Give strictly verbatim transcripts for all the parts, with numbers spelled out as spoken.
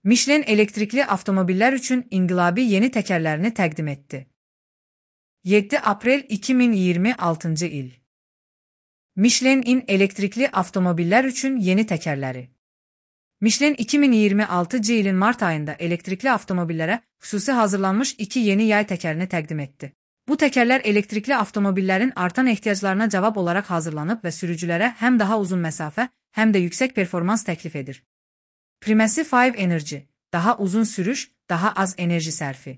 Michelin elektrikli avtomobillər üçün inqilabi yeni təkərlərini təqdim etdi. yeddi aprel iki min iyirmi altıncı il. Michelin elektrikli avtomobillər üçün yeni təkərləri. Michelin iki min iyirmi altıncı ilin mart ayında elektrikli avtomobillərə xüsusi hazırlanmış iki yeni yay təkərini təqdim etdi. Bu təkərlər elektrikli avtomobillərin artan ehtiyaclarına cavab olaraq hazırlanıb və sürücülərə həm daha uzun məsafə, həm də yüksək performans təklif edir. Primacy beş Energy, daha uzun sürüş, daha az enerji sərfi.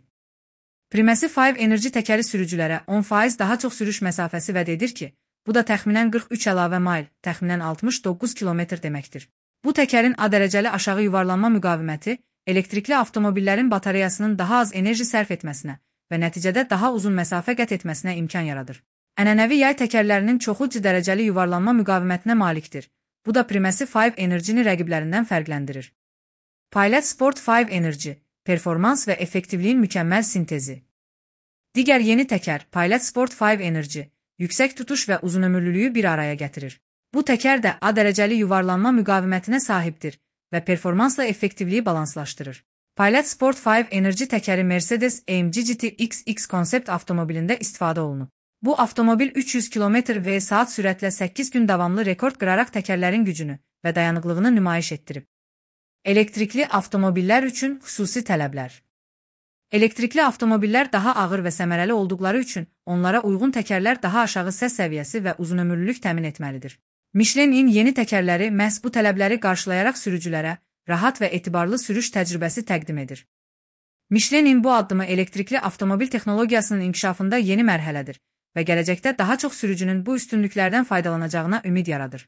Primacy beş Energy təkəri sürücülərə on faiz daha çox sürüş məsafəsi vəd edir ki, bu da təxminən qırx üç əlavə mayl, təxminən altmış doqquz kilometr deməkdir. Bu təkərin A dərəcəli aşağı yuvarlanma müqaviməti, elektrikli avtomobillərin batareyasının daha az enerji sərf etməsinə və nəticədə daha uzun məsafə qət etməsinə imkan yaradır. Ənənəvi yay təkərlərinin çoxu C dərəcəli yuvarlanma müqavimətinə malikdir. Bu da Primacy beş Energy-ni rəqiblərindən fərqləndirir. Pilot Sport beş Energy, performans və effektivliyin mükəmməl sintezi. Digər yeni təkər, Pilot Sport beş Energy, yüksək tutuş və uzunömürlülüyü bir araya gətirir. Bu təkər də A dərəcəli yuvarlanma müqavimətinə sahibdir və performansla effektivliyi balanslaşdırır. Pilot Sport beş Energy təkəri Mercedes A M G G T X X konsept avtomobilində istifadə olunub. Bu avtomobil üç yüz kilometr və saat sürətlə səkkiz gün davamlı rekord qıraraq təkərlərin gücünü və dayanıqlığını nümayiş etdirib. Elektrikli avtomobillər üçün xüsusi tələblər. Elektrikli avtomobillər daha ağır və səmərəli olduqları üçün onlara uyğun təkərlər daha aşağı səs səviyyəsi və uzunömürlülük təmin etməlidir. Michelin yeni təkərləri məhz bu tələbləri qarşılayaraq sürücülərə rahat və etibarlı sürüş təcrübəsi təqdim edir. Michelin bu addımı elektrikli avtomobil texnologiyasının inkişafında yeni mərhələdir və gələcəkdə daha çox sürücünün bu üstünlüklərdən faydalanacağına ümid yaradır.